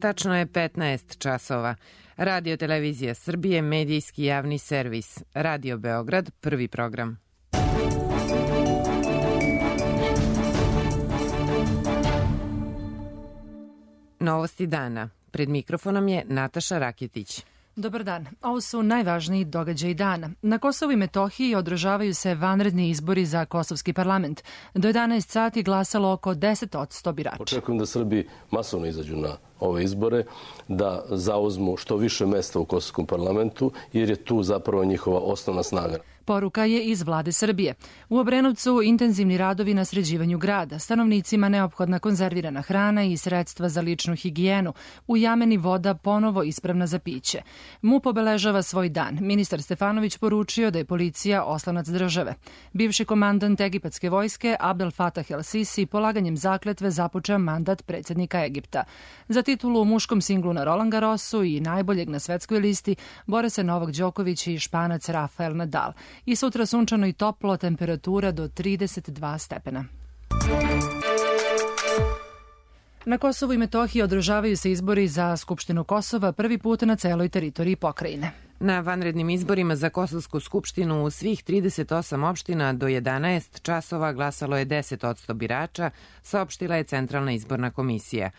Tačno je 15 časova. Radio Televizija Srbije, medijski javni servis. Radio Beograd, prvi program. Novosti dana. Pred mikrofonom je Nataša Raketić. Dobar dan. Ovo su najvažniji događaji dana. Na Kosovu i Metohiji održavaju se vanredni izbori za Kosovski parlament. Do 11 sati glasalo oko 10% birača. Očekujem da Srbi masovno izađu na ove izbore, da zauzmu što više mesta u Kosovskom parlamentu, jer je tu zapravo njihova osnovna snaga. Poruka je iz vlade Srbije. U Obrenovcu intenzivni radovi na sređivanju grada, stanovnicima neophodna konzervirana hrana i sredstva za ličnu higijenu. U Jameni voda ponovo ispravna za piće. MUP obeležava svoj dan. Ministar Stefanović poručio da je policija oslonac države. Bivši komandant egipatske vojske Abdel Fattah el-Sisi polaganjem zakletve započeo mandat predsjednika Egipta. Za titulu u muškom singlu na Roland Garrosu i najboljeg na svetskoj listi bore se Novak Đoković i Španac Rafael Nadal. I sutra sunčano i toplo, temperatura do 32 stepena. Na Kosovu i Metohiji održavaju se izbori za Skupštinu Kosova prvi put na celoj teritoriji pokrajine. Na vanrednim izborima za Kosovsku skupštinu u svih 38 opština do 11 časova glasalo je 10% birača, saopštila je Centralna izborna komisija.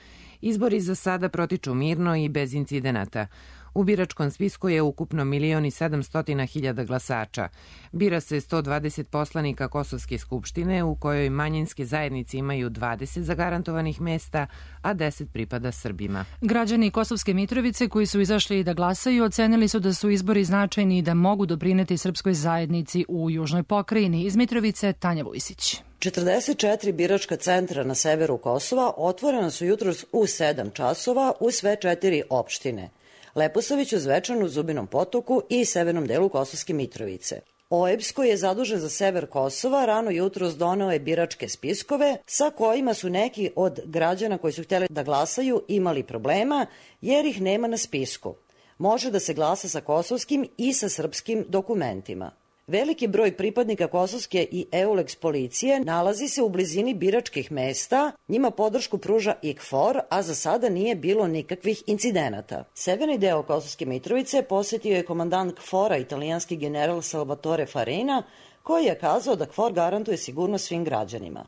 Izbori za sada protiču mirno i bez incidenata. U biračkom spisku je ukupno 1.700.000 glasača. Bira se 120 poslanika Kosovske skupštine, u kojoj manjinske zajednice imaju 20 zagarantovanih mesta, a 10 pripada Srbima. Građani Kosovske Mitrovice koji su izašli da glasaju ocenili su da su izbori značajni i da mogu doprineti srpskoj zajednici u južnoj pokrajini. Iz Mitrovice Tanja Vujsić. 44 biračka centra na severu Kosova otvorena su jutros u 7 časova u sve 4 opštine. Leposaviću, Zvečanu, Zubinom Potoku i severnom delu Kosovske Mitrovice. OEBS, koji je zadužen za sever Kosova, rano jutros doneo je biračke spiskove sa kojima su neki od građana koji su htjeli da glasaju imali problema jer ih nema na spisku. Može da se glasa sa kosovskim i sa srpskim dokumentima. Veliki broj pripadnika kosovske i EULEX policije nalazi se u blizini biračkih mesta, njima podršku pruža IKFOR, a za sada nije bilo nikakvih incidenata. Severni deo Kosovske Mitrovice posjetio je komandant KFOR-a, italijanski general Salvatore Farina, koji je kazao da KFOR garantuje sigurnost svim građanima.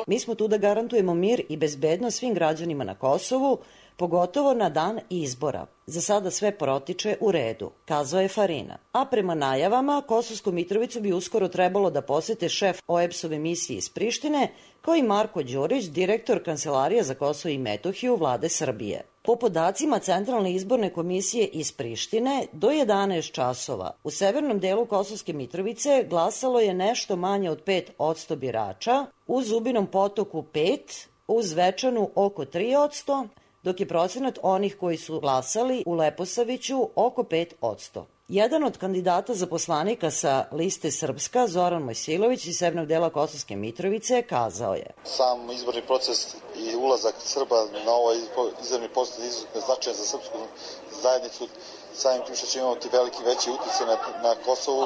Mi smo tu da garantujemo mir i bezbednost svim građanima na Kosovu, pogotovo na dan izbora. Za sada sve protiče u redu, kazao je Farina. A prema najavama, Kosovsku Mitrovicu bi uskoro trebalo da posete šef OEBS-ove misije iz Prištine, kao i Marko Đurić, direktor Kancelarije za Kosovo i Metohiju vlade Srbije. Po podacima Centralne izborne komisije iz Prištine, do 11 časova u severnom delu Kosovske Mitrovice glasalo je nešto manje od 5% birača, u Zubinom Potoku 5%, u Zvečanu oko 3%, dok je procenat onih koji su glasali u Leposaviću oko 5%. Jedan od kandidata za poslanika sa liste Srpska, Zoran Mojsilović iz severnog dela Kosovske Mitrovice, kazao je: Sam izborni proces i ulazak Srba na ovaj izborni proces je izuzetno značajan za srpsku zajednicu, samim tim što će imati veći utjecaj na Kosovu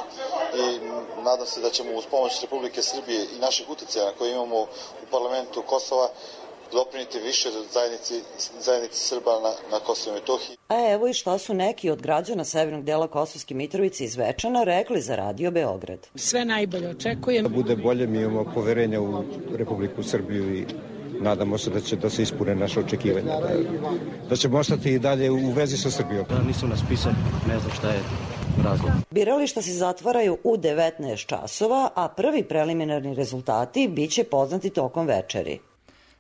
i nadam se da ćemo uz pomoć Republike Srbije i naših utjecaja koje imamo u parlamentu Kosova doprinijeti više zajednici Srba na Kosovu i Metohiji. A evo i šta su neki od građana severnog dela Kosovske Mitrovice iz Zvečana rekli za Radio Beograd. Sve najbolje očekujem. Da bude bolje, mi imamo poverenja u Republiku Srbiju i nadamo se da se ispune naše očekivanja, da ćemo ostati i dalje u vezi sa Srbijom. Nisu nas pisali, ne znam šta je razlog. Birališta se zatvaraju u 19 časova, a prvi preliminarni rezultati biće poznati tokom večeri.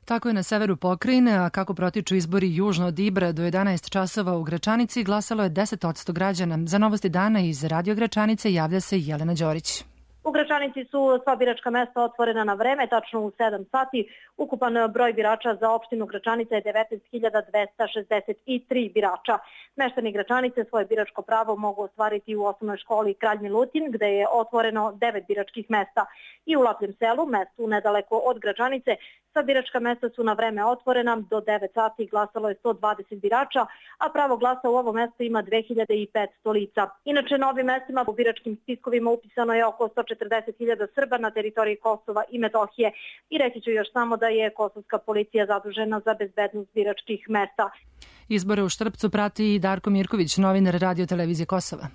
Tako je na severu pokrajine, a kako protiču izbori južno od Ibra do 11 časova u Gračanici glasalo je 10% građana. Za Novosti dana iz Radio Gračanice javlja se Jelena Đorić. U Gračanici su sva biračka mesta otvorena na vreme, tačno u 7 sati. Ukupan broj birača za opštinu Gračanica je 19.263 birača. Meštani Gračanice svoje biračko pravo mogu ostvariti u osnovnoj školi Kralj Milutin, gde je otvoreno 9 biračkih mesta. I u Lapljem selu, mestu nedaleko od Gračanice, sva biračka mesta su na vreme otvorena. Do 9 sati glasalo je 120 birača, a pravo glasa u ovom mestu ima 2500 lica. Inače, na ovim mestima u biračkim spiskovima upisano je oko 140 40.000 Srba na teritoriji Kosova i Metohije. I reći ću još samo da je kosovska policija zadužena za bezbednost biračkih mesta. Izbore u Štrpcu prati i Darko Mirković, novinar Radio televizije Kosova.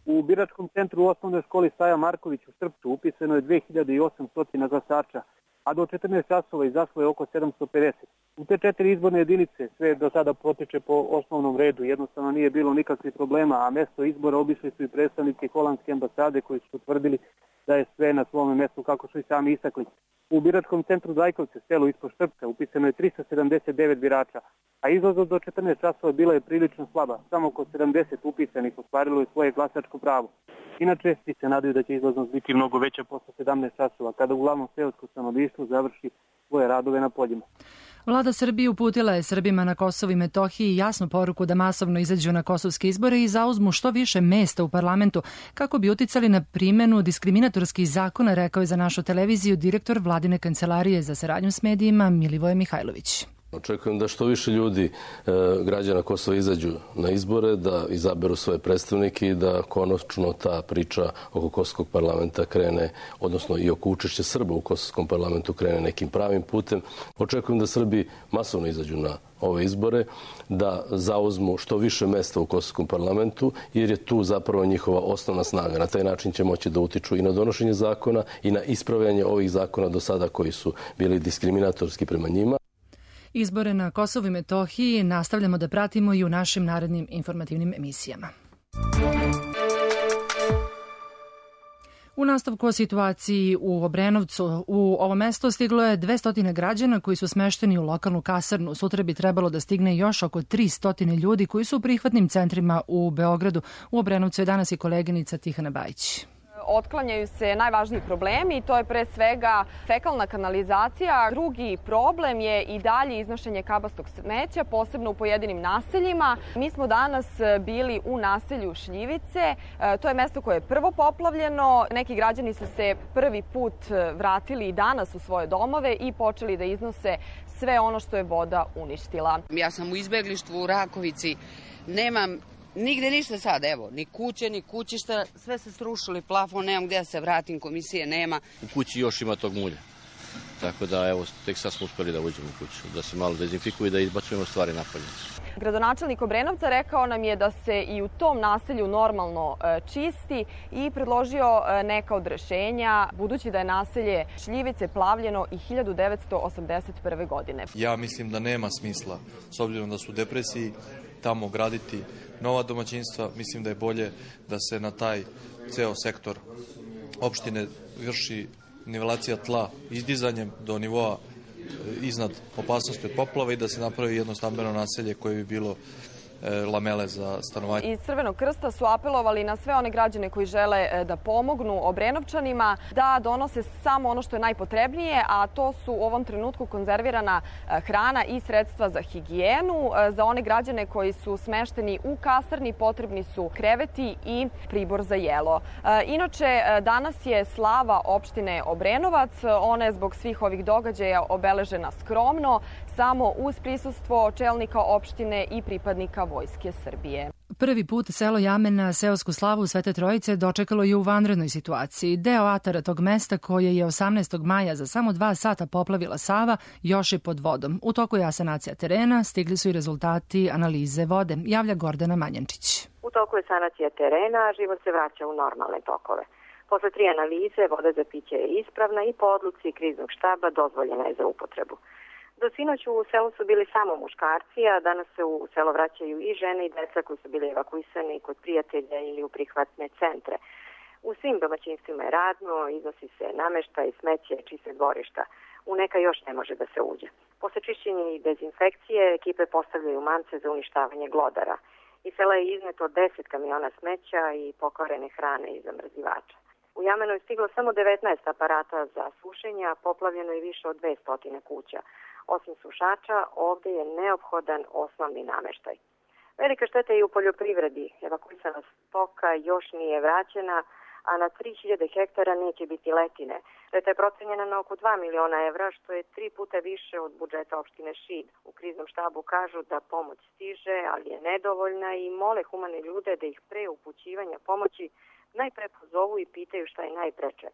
U biračkom centru u osnovnoj školi Staja Marković u Štrpcu upisano je 2800 glasača, a do 14 časova izašlo je oko 750. U te 4 izborne jedinice sve do sada potiče po osnovnom redu, jednostavno nije bilo nikakvih problema, a mesto izbora obišli su i predstavnici holandske ambasade koji su utvrdili da je sve na svom mestu kako su i sami istakli. U biračkom centru Zajkovce, selu ispod Štrpca, upisano je 379 birača, a izlaznost do 14 časova bila je prilično slaba. Samo oko 70 upisanih ostvarilo je svoje glasačko pravo. Inače, svi se nadaju da će izlaznost biti mnogo veća posle 17 časova, kada uglavnom seosko stanovništvo završi svoje radove na poljima. Vlada Srbije uputila je Srbima na Kosovu i Metohiji jasnu poruku da masovno izađu na kosovske izbore i zauzmu što više mesta u parlamentu kako bi uticali na primenu diskriminatorskih zakona, rekao je za našu televiziju direktor Vladine kancelarije za saradnju s medijima Milivoje Mihajlović. Očekujem da što više ljudi, građana Kosova, izađu na izbore, da izaberu svoje predstavnike i da konačno ta priča oko Kosovskog parlamenta krene, odnosno i oko učešća Srba u Kosovskom parlamentu krene nekim pravim putem. Očekujem da Srbi masovno izađu na ove izbore, da zauzmu što više mesta u Kosovskom parlamentu, jer je tu zapravo njihova osnovna snaga. Na taj način će moći da utiču i na donošenje zakona i na ispravljanje ovih zakona do sada koji su bili diskriminatorski prema njima. Izbore na Kosovu i Metohiji nastavljamo da pratimo i u našim narednim informativnim emisijama. U nastavku o situaciji u Obrenovcu, u ovo mesto stiglo je 200 građana koji su smešteni u lokalnu kasarnu. Sutra bi trebalo da stigne još oko 300 ljudi koji su u prihvatnim centrima u Beogradu. U Obrenovcu je danas i koleginica Tihana Bajić. Otklanjaju se najvažniji problemi, to je pre svega fekalna kanalizacija. Drugi problem je i dalje iznošenje kabastog smeća, posebno u pojedinim naseljima. Mi smo danas bili u naselju Šljivice, to je mesto koje je prvo poplavljeno. Neki građani su se prvi put vratili i danas u svoje domove i počeli da iznose sve ono što je voda uništila. Ja sam u izbeglištvu u Rakovici, nemam nigde ništa sad, evo, ni kuće, ni kućišta, sve se srušili, plafon, nemam gde da se vratim, komisije nema. U kući još ima tog mulja, tako da evo, tek sad smo uspeli da uđemo u kuću, da se malo dezinfikuje i da izbacujemo stvari napolje. Gradonačelnik Obrenovca rekao nam je da se i u tom naselju normalno čisti i predložio neka od rešenja, budući da je naselje Šljivice plavljeno i 1981. godine. Ja mislim da nema smisla, s obzirom da su u depresiji, tamo graditi nova domaćinstva. Mislim da je bolje da se na taj ceo sektor opštine vrši nivelacija tla izdizanjem do nivoa iznad opasnosti od poplava i da se napravi jedno stambeno naselje koje bi bilo lamele za stanovanje. Iz Crvenog krsta su apelovali na sve one građane koji žele da pomognu Obrenovčanima, da donose samo ono što je najpotrebnije, a to su u ovom trenutku konzervirana hrana i sredstva za higijenu. Za one građane koji su smešteni u kasarni potrebni su kreveti i pribor za jelo. Inače, danas je slava opštine Obrenovac. Ona je zbog svih ovih događaja obeležena skromno, samo uz prisustvo čelnika opštine i pripadnika Vojske Srbije. Prvi put selo Jamen na seosku slavu Svete Trojice dočekalo je u vanrednoj situaciji. Deo atara tog mesta koje je 18. maja za samo 2 sata poplavila Sava još je pod vodom. U toku je asanacija terena, stigli su i rezultati analize vode, javlja Gordana Manjančić. U toku je sanacija terena, život se vraća u normalne tokove. Posle 3 analize, voda za piće je ispravna i po odluci kriznog štaba dozvoljena je za upotrebu. Do sinoć u selu su bili samo muškarci, a danas se u selo vraćaju i žene i deca koji su bili evakuisani kod prijatelja ili u prihvatne centre. U svim domaćinstvima je radno, iznosi se nameštaj, smeće, čiste dvorišta. U neka još ne može da se uđe. Posle čišćenja i dezinfekcije, ekipe postavljaju mance za uništavanje glodara. Iz sela je izneto 10 kamiona smeća i pokvarene hrane i zamrzivača. U Jamenu je stiglo samo 19 aparata za sušenje, a poplavljeno je više od 200 kuća. Osim sušača, ovde je neophodan osnovni nameštaj. Velika šteta je i u poljoprivredi. Evakuisana stoka još nije vraćena, a na 3000 hektara neće biti letine. Šteta je procenjena na oko 2 miliona evra, što je 3 puta više od budžeta opštine Šid. U kriznom štabu kažu da pomoć stiže, ali je nedovoljna i mole humane ljude da ih pre upućivanja pomoći najpre pozovu i pitaju šta je najpreče.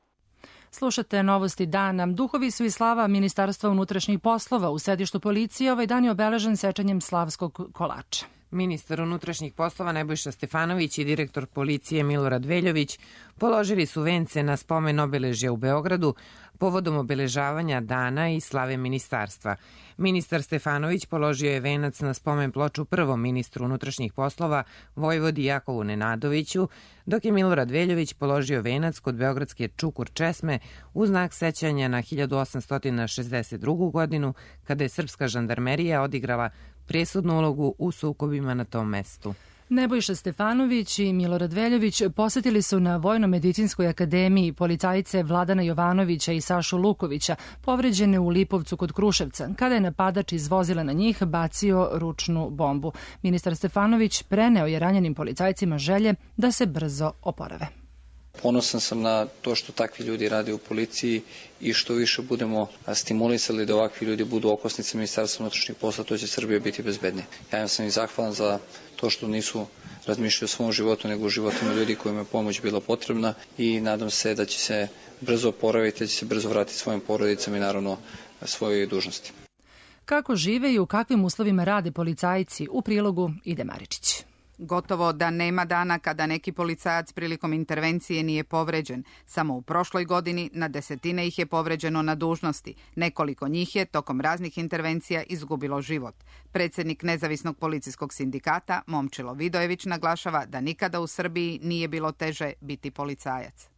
Slušate Novosti dana. Duhovi su i slava Ministarstva unutrašnjih poslova. U sedištu policije ovaj dan je obeležen sečanjem slavskog kolača. Ministar unutrašnjih poslova Nebojša Stefanović i direktor policije Milorad Veljović položili su vence na spomen obeležja u Beogradu povodom obeležavanja dana i slave ministarstva. Ministar Stefanović položio je venac na spomen ploču prvom ministru unutrašnjih poslova Vojvodi Jakovu Nenadoviću, dok je Milorad Veljović položio venac kod beogradske Čukur česme u znak sećanja na 1862. godinu, kada je srpska žandarmerija odigrala presudnu ulogu u sukobima na tom mestu. Nebojša Stefanović i Milorad Veljović posetili su na Vojno-medicinskoj akademiji policajice Vladana Jovanovića i Sašu Lukovića, povređene u Lipovcu kod Kruševca, kada je napadač iz vozila na njih bacio ručnu bombu. Ministar Stefanović preneo je ranjenim policajcima želje da se brzo oporave. Ponosan sam na to što takvi ljudi rade u policiji i što više budemo stimulisali da ovakvi ljudi budu okosnice Ministarstva unutrašnjih poslova, to će Srbija biti bezbednija. Ja sam i zahvalan za to što nisu razmišljali o svom životu, nego o životima ljudi kojima je pomoć bila potrebna i nadam se da će se brzo oporaviti, da će se brzo vratiti svojim porodicama i naravno svojoj dužnosti. Kako žive i u kakvim uslovima rade policajci, u prilogu Ide Maričić. Gotovo da nema dana kada neki policajac prilikom intervencije nije povređen. Samo u prošloj godini na desetine ih je povređeno na dužnosti. Nekoliko njih je tokom raznih intervencija izgubilo život. Predsjednik Nezavisnog policijskog sindikata Momčilo Vidojević naglašava da nikada u Srbiji nije bilo teže biti policajac.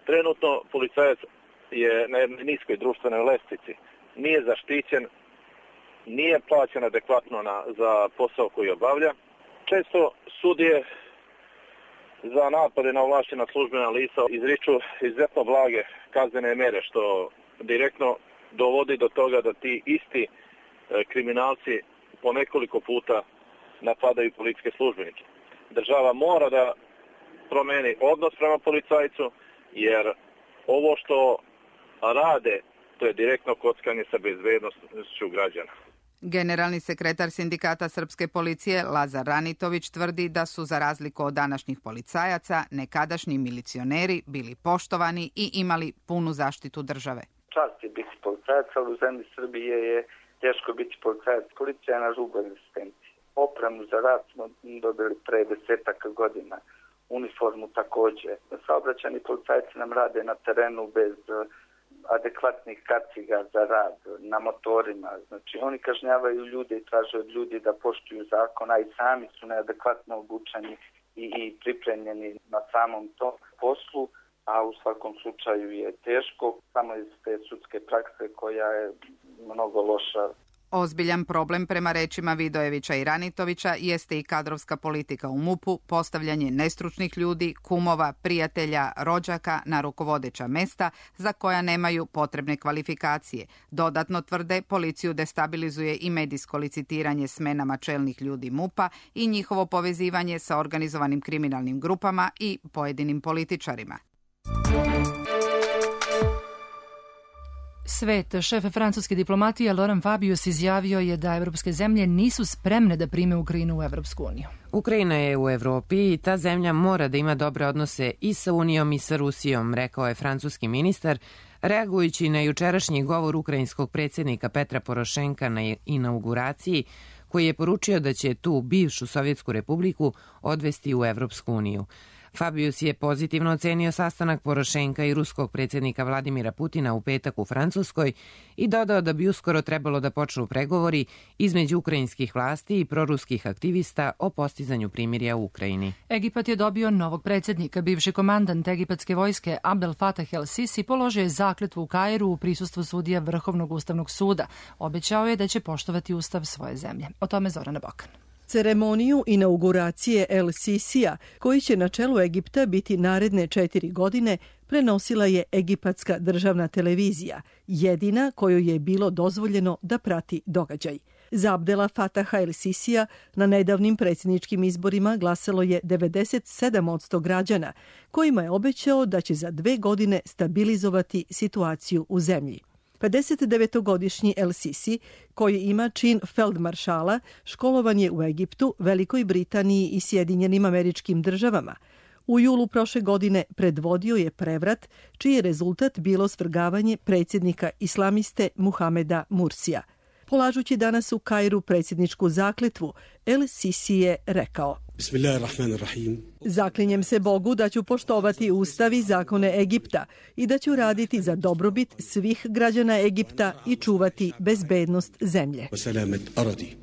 Trenutno policajac je na jednoj niskoj društvenoj lestvici. Nije zaštićen, nije plaćen adekvatno za posao koji obavlja. Često sudije za napade na ovlašćena službena lica izriču izuzetno blage kaznene mere, što direktno dovodi do toga da ti isti kriminalci po nekoliko puta napadaju policijske službenike. Država mora da promeni odnos prema policajcu, jer ovo što rade, to je direktno kockanje sa bezbednošću građana. Generalni sekretar sindikata Srpske policije Lazar Ranitović tvrdi da su, za razliku od današnjih policajaca, nekadašnji milicioneri bili poštovani i imali punu zaštitu države. Čast je biti policajac, ali u zemlji Srbije je teško biti policajac. Policija je na rubu egzistencije. Opremu za rad smo dobili pre 10 godina. Uniformu takođe. Saobraćajni policajci nam rade na terenu bez adekvatnih kaciga za rad na motorima. Znači, oni kažnjavaju ljude i traže od ljudi da poštuju zakon, a i sami su neadekvatno obučeni i pripremljeni na samom tom poslu, a u svakom slučaju je teško, samo iz te sudske prakse koja je mnogo loša. Ozbiljan problem, prema rečima Vidojevića i Ranitovića, jeste i kadrovska politika u MUP-u, postavljanje nestručnih ljudi, kumova, prijatelja, rođaka na rukovodeća mesta za koja nemaju potrebne kvalifikacije. Dodatno tvrde, policiju destabilizuje i medijsko licitiranje smenama čelnih ljudi MUP-a i njihovo povezivanje sa organizovanim kriminalnim grupama i pojedinim političarima. Svet. Šef francuske diplomatije Laurent Fabius izjavio je da evropske zemlje nisu spremne da prime Ukrajinu u Evropsku uniju. Ukrajina je u Evropi i ta zemlja mora da ima dobre odnose i sa Unijom i sa Rusijom, rekao je francuski ministar, reagujući na jučerašnji govor ukrajinskog predsjednika Petra Porošenka na inauguraciji, koji je poručio da će tu bivšu Sovjetsku republiku odvesti u Evropsku uniju. Fabius je pozitivno ocenio sastanak Porošenka i ruskog predsjednika Vladimira Putina u petak u Francuskoj i dodao da bi uskoro trebalo da počnu pregovori između ukrajinskih vlasti i proruskih aktivista o postizanju primirja u Ukrajini. Egipat je dobio novog predsjednika. Bivši komandant egipatske vojske Abdel Fattah el-Sisi položio je zakletvu u Kairu u prisustvu sudija Vrhovnog ustavnog suda. Obećao je da će poštovati ustav svoje zemlje. O tome Zorana Bokan. Ceremoniju inauguracije El Sisija, koji će na čelu Egipta biti naredne 4 godine, prenosila je egipatska državna televizija, jedina kojoj je bilo dozvoljeno da prati događaj. Za Abdela Fataha El Sisija na nedavnim predsjedničkim izborima glasalo je 97% građana, kojima je obećao da će za 2 godine stabilizovati situaciju u zemlji. 59-godišnji El Sisi, koji ima čin feldmaršala, školovan je u Egiptu, Velikoj Britaniji i Sjedinjenim Američkim Državama. U julu prošle godine predvodio je prevrat, čiji je rezultat bilo svrgavanje predsjednika islamiste Muhameda Mursija. Polažući danas u Kairu predsjedničku zakletvu, El Sisi je rekao: Zaklinjem se Bogu da ću poštovati ustav i zakone Egipta i da ću raditi za dobrobit svih građana Egipta i čuvati bezbednost zemlje.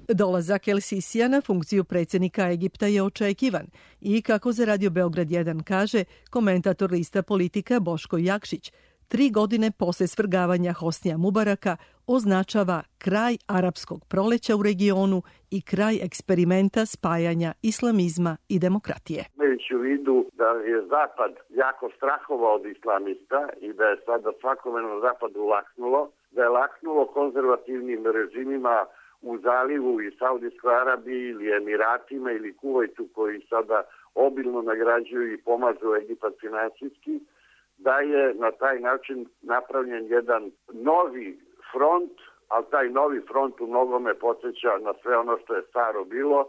Dolazak El Sisija na funkciju predsjednika Egipta je očekivan i, kako za Radio Beograd 1 kaže komentator lista Politika Boško Jakšić, 3 godine posle svrgavanja Hosnija Mubaraka označava kraj arapskog proleća u regionu i kraj eksperimenta spajanja islamizma i demokratije. Imajući u vidu da je Zapad jako strahovao od islamista i da je sada svakome na Zapadu laknulo, da je laknulo konzervativnim režimima u Zalivu i Saudijskoj Arabiji ili Emiratima ili Kuvajtu, koji sada obilno nagrađuju i pomažu Egipat finansijski, da je na taj način napravljen jedan novi front, ali taj novi front u mnogome podsjeća na sve ono što je staro bilo,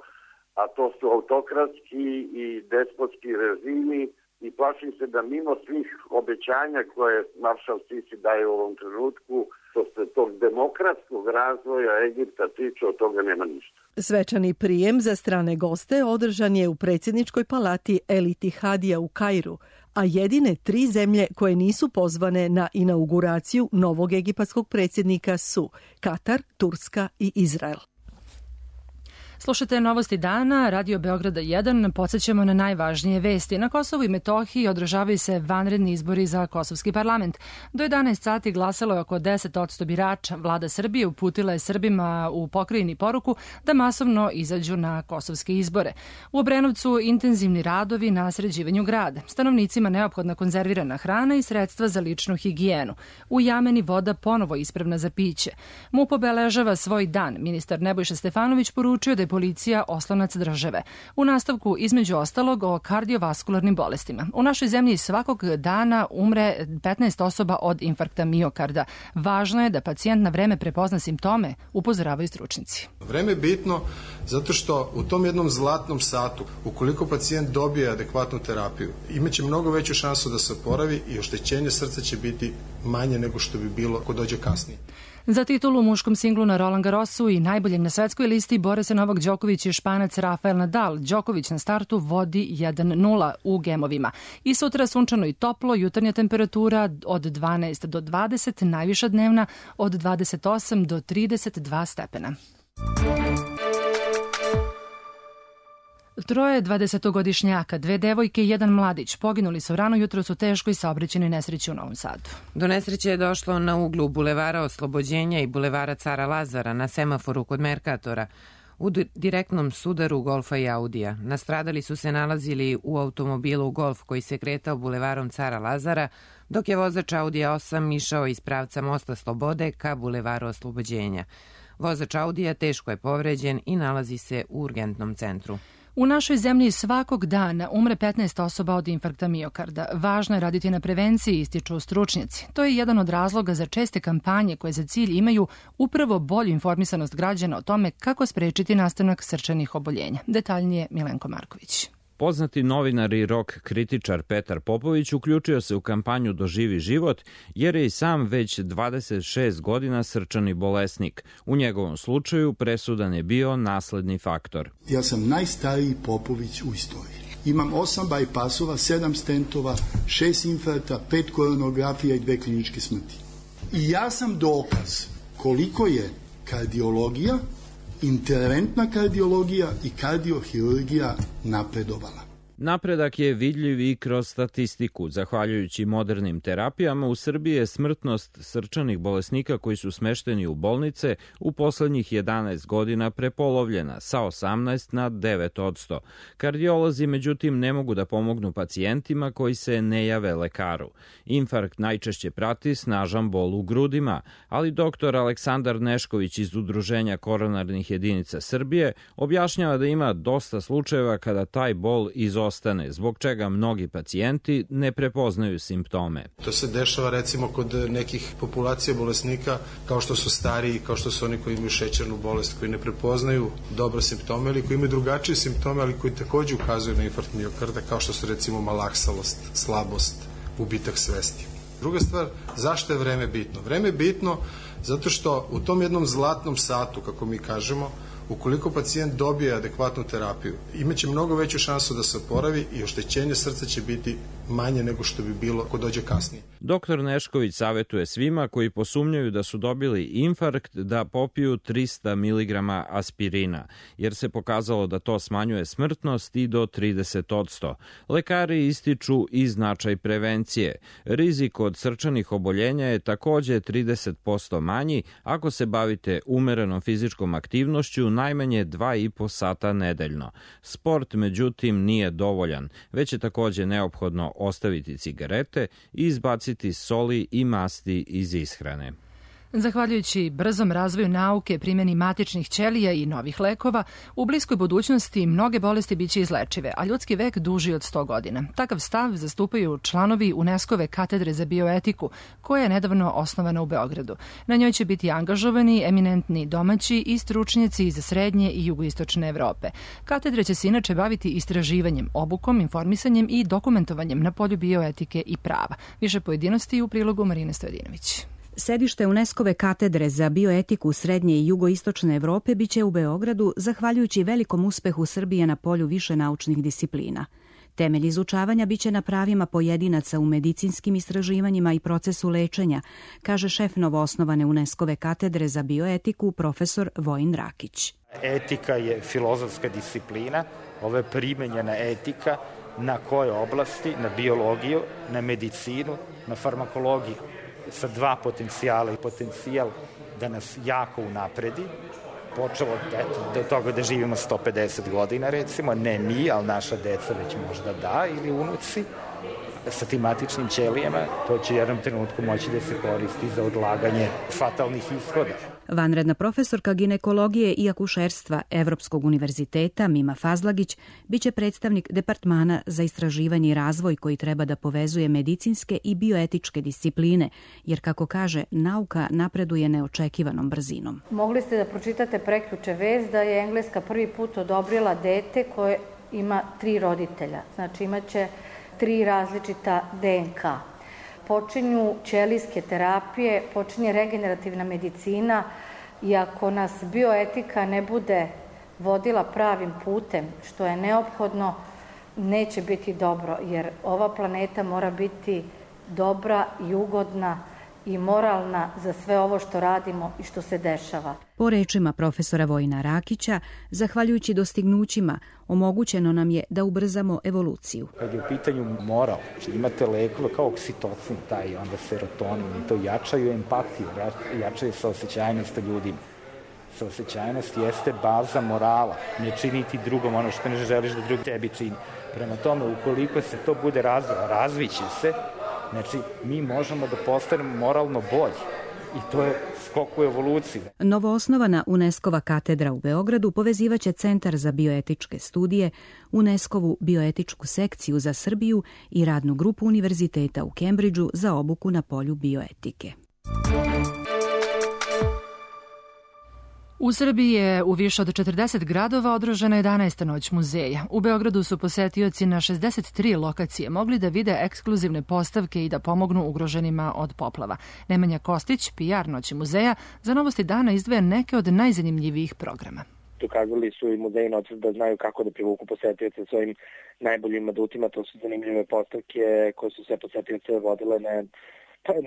a to su autokratski i despotski režimi, i plašim se da mimo svih obećanja koje maršal Sisi daje u ovom trenutku, što se tog demokratskog razvoja Egipta tiče, od toga nema ništa. Svečani prijem za strane goste održan je u predsjedničkoj palati El Itihadija u Kairu, a jedine 3 zemlje koje nisu pozvane na inauguraciju novog egipatskog predsjednika su Katar, Turska i Izrael. Slušate novosti dana, Radio Beograda 1, podsjećamo na najvažnije vesti. Na Kosovu i Metohiji održavaju se vanredni izbori za Kosovski parlament. Do 11 sati glasalo je oko 10% birača. Vlada Srbije uputila je Srbima u pokrajini poruku da masovno izađu na kosovske izbore. U Obrenovcu intenzivni radovi na sređivanju grada. Stanovnicima neophodna konzervirana hrana i sredstva za ličnu higijenu. U Jameni voda ponovo ispravna za piće. MUP obeležava svoj dan. Ministar Nebojša Stefanović poručio da je policija oslonac države. U nastavku, između ostalog, o kardiovaskularnim bolestima. U našoj zemlji svakog dana umre 15 osoba od infarkta miokarda. Važno je da pacijent na vreme prepozna simptome, upozoravaju stručnjaci. Vreme je bitno zato što u tom jednom zlatnom satu, ukoliko pacijent dobije adekvatnu terapiju, imaće mnogo veću šansu da se oporavi i oštećenje srca će biti manje nego što bi bilo ako dođe kasnije. Za titulu u muškom singlu na Roland Garrosu i najboljeg na svetskoj listi bore se Novak Đoković i Španac Rafael Nadal. Đoković na startu vodi 1-0 u gemovima. I sutra sunčano i toplo, jutarnja temperatura od 12 do 20, najviša dnevna od 28 do 32 stepena. 3 20-godišnjaka, 2 devojke i 1 mladić poginuli su rano jutros u teškoj saobraćajnoj nesreći u Novom Sadu. Do nesreće je došlo na uglu Bulevara Oslobođenja i Bulevara Cara Lazara na semaforu kod Merkatora u direktnom sudaru Golfa i Audija. Nastradali su se nalazili u automobilu Golf koji se kretao bulevarom Cara Lazara, dok je vozač Audija 8 išao iz pravca Mosta Slobode ka Bulevaru Oslobođenja. Vozač Audija teško je povređen i nalazi se u urgentnom centru. U našoj zemlji svakog dana umre 15 osoba od infarkta miokarda. Važno je raditi na prevenciji, ističu stručnjaci. To je jedan od razloga za česte kampanje koje za cilj imaju upravo bolju informisanost građana o tome kako sprečiti nastanak srčanih oboljenja. Detaljnije Milenko Marković. Poznati novinar i rock kritičar Petar Popović uključio se u kampanju Doživi život jer je i sam već 26 godina srčani bolesnik. U njegovom slučaju presudan je bio nasledni faktor. Ja sam najstariji Popović u istoriji. Imam 8 bajpasova, 7 stentova, 6 infarkta, 5 koronografija i 2 kliničke smrti. I ja sam dokaz koliko je kardiologija, interventna kardiologija i kardiohirurgija napredovala. Napredak je vidljiv i kroz statistiku. Zahvaljujući modernim terapijama, u Srbiji je smrtnost srčanih bolesnika koji su smešteni u bolnice u poslednjih 11 godina prepolovljena sa 18 na 9%. Kardiolozi, međutim, ne mogu da pomognu pacijentima koji se ne jave lekaru. Infarkt najčešće prati snažan bol u grudima, ali dr. Aleksandar Nešković iz Udruženja koronarnih jedinica Srbije objašnjava da ima dosta slučajeva kada taj bol izostaje izostane, zbog čega mnogi pacijenti ne prepoznaju simptome. To se dešava recimo kod nekih populacija bolesnika kao što su stariji, kao što su oni koji imaju šećernu bolest, koji ne prepoznaju dobro simptome ili koji imaju drugačije simptome, ali koji takođe ukazuju na infarkt miokarda, kao što su recimo malaksalost, slabost, gubitak svesti. Druga stvar, zašto je vreme bitno? Vreme je bitno zato što u tom jednom zlatnom satu, kako mi kažemo, ukoliko pacijent dobije adekvatnu terapiju, imaće mnogo veću šansu da se oporavi i oštećenje srca će biti manje nego što bi bilo ako dođe kasnije. Doktor Nešković savetuje svima koji posumnjaju da su dobili infarkt da popiju 300 mg aspirina, jer se pokazalo da to smanjuje smrtnost i do 30%. Lekari ističu i značaj prevencije. Rizik od srčanih oboljenja je takođe 30% manji ako se bavite umerenom fizičkom aktivnošću najmanje 2,5 sata nedeljno. Sport, međutim, nije dovoljan, već je takođe neophodno ostaviti cigarete i izbaciti soli i masti iz ishrane. Zahvaljujući brzom razvoju nauke, primjeni matičnih ćelija i novih lekova, u bliskoj budućnosti mnoge bolesti biće izlečive, a ljudski vek duži od 100 godina. Takav stav zastupaju članovi UNESCO-ve katedre za bioetiku, koja je nedavno osnovana u Beogradu. Na njoj će biti angažovani eminentni domaći i stručnjaci iz srednje i jugoistočne Evrope. Katedra će se inače baviti istraživanjem, obukom, informisanjem i dokumentovanjem na polju bioetike i prava. Više pojedinosti u prilogu Marine Stojadinović. Sedište UNESCO-ve katedre za bioetiku srednje i jugoistočne Evrope biće u Beogradu zahvaljujući velikom uspehu Srbije na polju više naučnih disciplina. Temelj izučavanja biće na pravima pojedinaca u medicinskim istraživanjima i procesu lečenja, kaže šef novoosnovane UNESCO-ve katedre za bioetiku profesor Vojin Rakić. Etika je filozofska disciplina, ovo je primenjena etika na koje oblasti, na biologiju, na medicinu, na farmakologiju, sa dva potencijala i potencijal da nas jako unapredi, počelo do toga da živimo 150 godina recimo, ne mi, ali naša deca već možda da, ili unuci, sa tim matičnim ćelijama, to će u jednom trenutku moći da se koristi za odlaganje fatalnih ishoda. Vanredna profesorka ginekologije i akušerstva Evropskog univerziteta Mima Fazlagić biće predstavnik Departmana za istraživanje i razvoj koji treba da povezuje medicinske i bioetičke discipline, jer kako kaže, nauka napreduje neočekivanom brzinom. Mogli ste da pročitate prekjuče vest da je Engleska prvi put odobrila dete koje ima 3 roditelja, znači imaće 3 različita DNK. Počinju ćelijske terapije, počinje regenerativna medicina i ako nas bioetika ne bude vodila pravim putem, što je neophodno, neće biti dobro, jer ova planeta mora biti dobra i ugodna i moralna za sve ovo što radimo i što se dešava. Po rečima profesora Vojina Rakića, zahvaljujući dostignućima, omogućeno nam je da ubrzamo evoluciju. Kad je u pitanju moral, imate lekove kao oksitocin, taj onda serotonin, i to jačaju empatiju, jačaju saosećajnost ljudima. Saosećajnost jeste baza morala, ne činiti drugom ono što ne želiš da drug tebi čini. Prema tome, ukoliko se to bude razviće se, znači mi možemo da postanemo moralno bolji i to je skok u evoluciji. Novoosnovana UNESCO-va katedra u Beogradu povezivaće Centar za bioetičke studije, UNESCO-vu bioetičku sekciju za Srbiju i radnu grupu univerziteta u Kembridžu za obuku na polju bioetike. U Srbiji je u više od 40 gradova održana 11. noć muzeja. U Beogradu su posetioci na 63 lokacije mogli da vide ekskluzivne postavke i da pomognu ugroženima od poplava. Nemanja Kostić, PR Noći muzeja, za Novosti dana izdvaja neke od najzanimljivijih programa. Dokazali su i muzeji noćas da znaju kako da privuku posetioce svojim najboljim adutima. To su zanimljive postavke koje su sve posetioce vodile na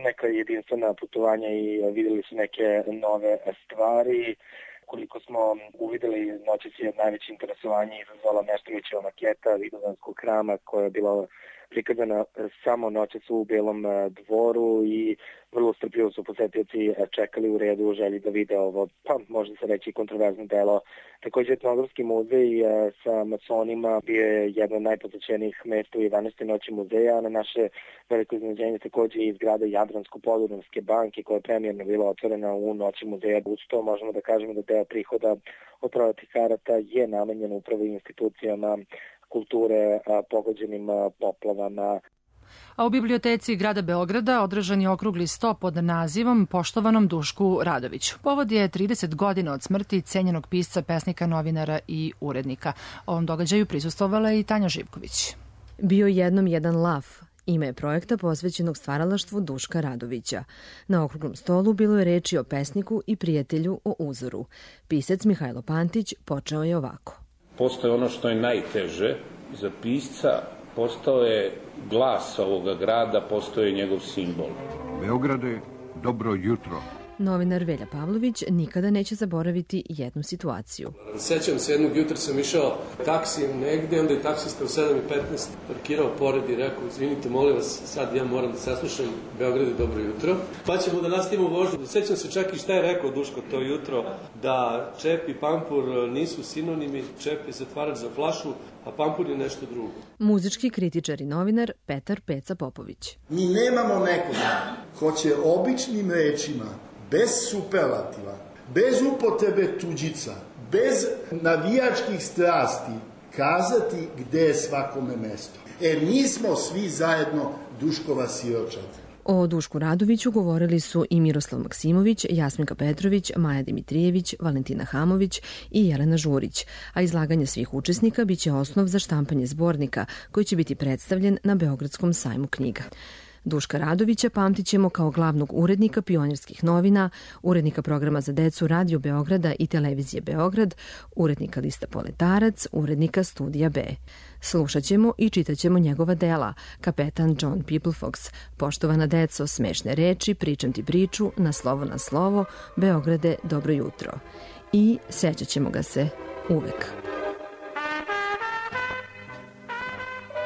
neka jedinstvena putovanja i videli su neke nove stvari. Koliko smo uvideli, noćas je najveće interesovanje izazvala Meštrovićeva maketa Vidovdanskog hrama koja je bila prikazana samo noćas u Belom dvoru i vrlo strpljivo su posetioci čekali u redu u želji da vide ovo, pa možda se reći kontroverzno delo. Također Etnografski muzej sa masonima bio je jedno od najposećenijih mesta u 11. noći muzeja. Na naše veliko iznenađenje također i zgrada Jadransko-Podunavske banke koja je premijerno bila otvorena u noći muzeja. Uz to možemo da kažemo da deo prihoda od prodatih karata je namenjen upravo institucijama kulture pogođenim poplavama. A u biblioteci grada Beograda održan je okrugli sto pod nazivom Poštovanom Dušku Radoviću. Povod je 30 godina od smrti cenjenog pisca, pesnika, novinara i urednika. Ovom događaju prisustvovala i Tanja Živković. Bio jednom jedan lav. Ime je projekta posvećenog stvaralaštvu Duška Radovića. Na okruglom stolu bilo je reči o pesniku i prijatelju o uzoru. Pisac Mihajlo Pantić počeo je ovako. Postoje ono što je najteže za pisca, postao je glas ovoga grada, postao je njegov simbol. Beograde, dobro jutro. Novinar Velja Pavlović nikada neće zaboraviti jednu situaciju. Sećam se, jednog jutra sam išao taksijem negde, onda je taksista u 7:15 parkirao pored i rekao, izvinite, molim vas, sad ja moram da saslušam Beograde, dobro jutro. Pa ćemo da nastavimo vožnju. Sećam se čak i šta je rekao Duško to jutro, da čep i pampur nisu sinonimi, čep je zatvarač za flašu, a pampur je nešto drugo. Muzički kritičar i novinar Petar Peca Popović. Mi nemamo nekoga ko će običnim rečima, bez superlativa, bez upotrebe tuđica, bez navijačkih strasti, kazati gde je svakome mesto. Mi smo svi zajedno Duškova siročad. O Dušku Radoviću govorili su i Miroslav Maksimović, Jasminka Petrović, Maja Dimitrijević, Valentina Hamović i Jelena Žurić, a izlaganje svih učesnika biće osnov za štampanje zbornika koji će biti predstavljen na Beogradskom sajmu knjiga. Duška Radovića pamtit ćemo kao glavnog urednika Pionirskih novina, urednika programa za decu Radio Beograda i Televizije Beograd, urednika lista Poletarac, urednika Studija B. Slušat ćemo i čitat ćemo njegova dela, Kapetan John Peoplefox, Poštovana deco, Smešne reči, Pričam ti priču, Na slovo, Beograde, dobro jutro. I sećat ćemo ga se uvek.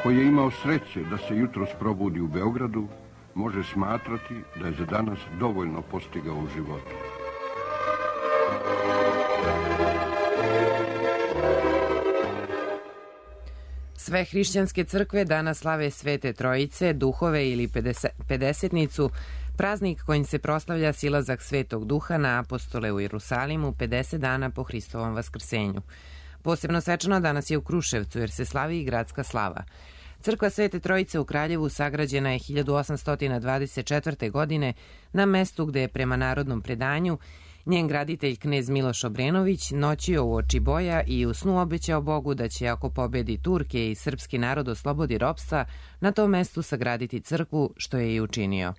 Ko je imao sreće da se jutros probudi u Beogradu, može smatrati da je za danas dovoljno postigao u životu. Sve hrišćanske crkve danas slave Svete Trojice, duhove ili pedesetnicu, praznik kojim se proslavlja silazak Svetog Duha na apostole u Jerusalimu 50 dana po Hristovom vaskrsenju. Posebno svečano danas je u Kruševcu jer se slavi i gradska slava. Crkva Svete Trojice u Kraljevu sagrađena je 1824. godine na mestu gde je prema narodnom predanju njen graditelj knez Miloš Obrenović noćio u oči boja i u snu obećao Bogu da će ako pobedi Turke i srpski narod oslobodi ropstva na tom mestu sagraditi crkvu, što je i učinio.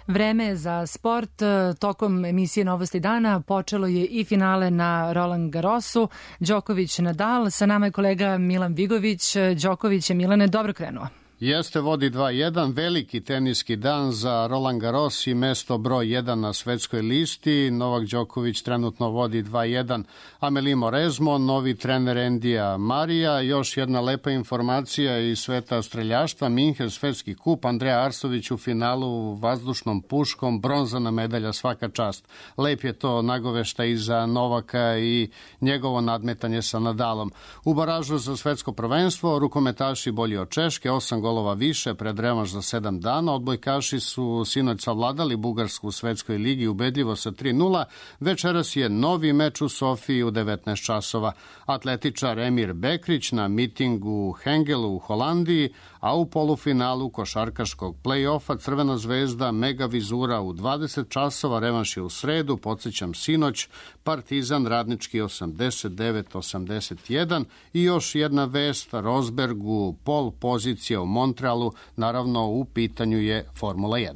Vreme za sport. Tokom emisije Novosti dana počelo je i finale na Roland Garrosu. Đoković Nadal. Sa nama je kolega Milan Vigović. Đoković je, Milane, dobro krenuo. Jeste, vodi 2-1, veliki teniski dan za Roland Garros i mesto broj 1 na svetskoj listi. Novak Đoković trenutno vodi 2-1. Amelie Mauresmo, novi trener Endija Marija. Još jedna lepa informacija iz sveta streljaštva. Minhen svetski kup, Andreja Arsović u finalu vazdušnom puškom, bronzana medalja, svaka čast. Lep je to nagovešta i za Novaka i njegovo nadmetanje sa Nadalom. U baražu za svetsko prvenstvo rukometaši bolji od Češke, 8 golova više pred revanš za 7 dana. Odbojkaši su sinoć savladali Bugarsku u svetskoj ligi ubedljivo sa 3-0. Večeras je novi meč u Sofiji u 19 časova. Atletičar Emir Bekrić na mitingu u Hengelu u Holandiji, a u polufinalu košarkaškog play-offa Crvena zvezda Mega Vizura u 20 časova. Revanš je u sredu, podsjećam sinoć, Partizan Radnički 89-81 i još jedna vest, Rosbergu pol pozicija u Montrealu, naravno u pitanju je Formula 1.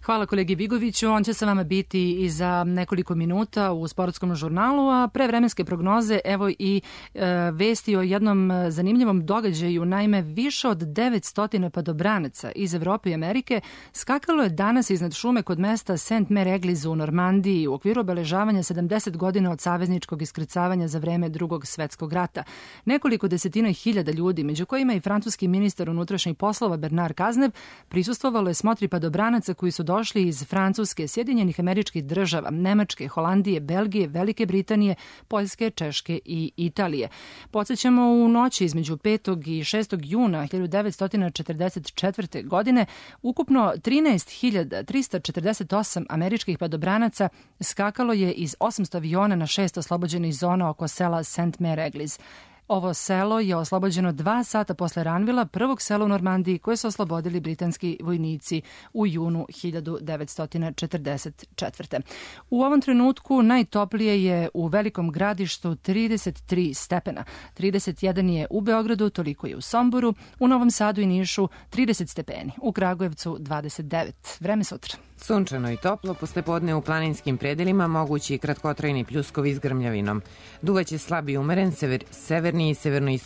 Hvala kolegi Vigoviću, on će sa vama biti i za nekoliko minuta u sportskom žurnalu, a pre vremenske prognoze evo i vesti o jednom zanimljivom događaju. Naime, više od 900 padobranaca iz Evrope i Amerike skakalo je danas iznad šume kod mesta St. Mary Eglise u Normandiji u okviru obeležavanja 70 godina od savezničkog iskrcavanja za vreme Drugog svetskog rata. Nekoliko desetina hiljada ljudi, među kojima i francuski ministar unutrašnjih poslova Bernard Cazeneuve, prisustvovalo je smotri padobranaca koji su došli došli iz Francuske, Sjedinjenih Američkih Država, Nemačke, Holandije, Belgije, Velike Britanije, Poljske, Češke i Italije. Podsjećamo, u noći između 5. i 6. juna 1944. godine ukupno 13.348 američkih padobranaca skakalo je iz 800 aviona na 6 oslobođenih zona oko sela St. Mary Eglis. Ovo selo je oslobođeno 2 sata posle Ranvila, prvog sela u Normandiji koje su oslobodili britanski vojnici u junu 1944. U ovom trenutku najtoplije je u Velikom Gradištu 33 stepena. 31 je u Beogradu, toliko je u Somboru, u Novom Sadu i Nišu 30 stepeni, u Kragujevcu 29. Vreme sutra. Sunčano i toplo, poslepodne u planinskim predelima mogući kratkotrajni pljuskovi s grmljavinom. Duvaće slab i umeren severni i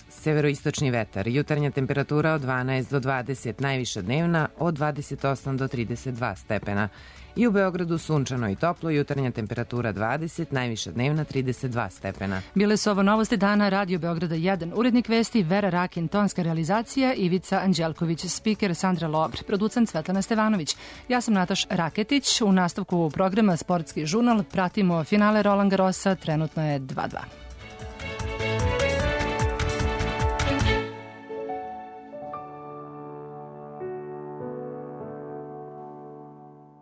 severoistočni vetar. Jutarnja temperatura od 12 do 20, najviša dnevna od 28 do 32 stepena. I u Beogradu sunčano i toplo, jutarnja temperatura 20, najviša dnevna 32 stepena. Bile su ovo novosti dana Radio Beograda 1. Urednik vesti Vera Rakin, tonska realizacija Ivica Anđelković, spiker Sandra Lobr, producent Svetlana Stevanović. Ja sam Nataš Raketić. U nastavku programa Sportski žurnal pratimo finale Roland Garrosa, trenutno je 2:2.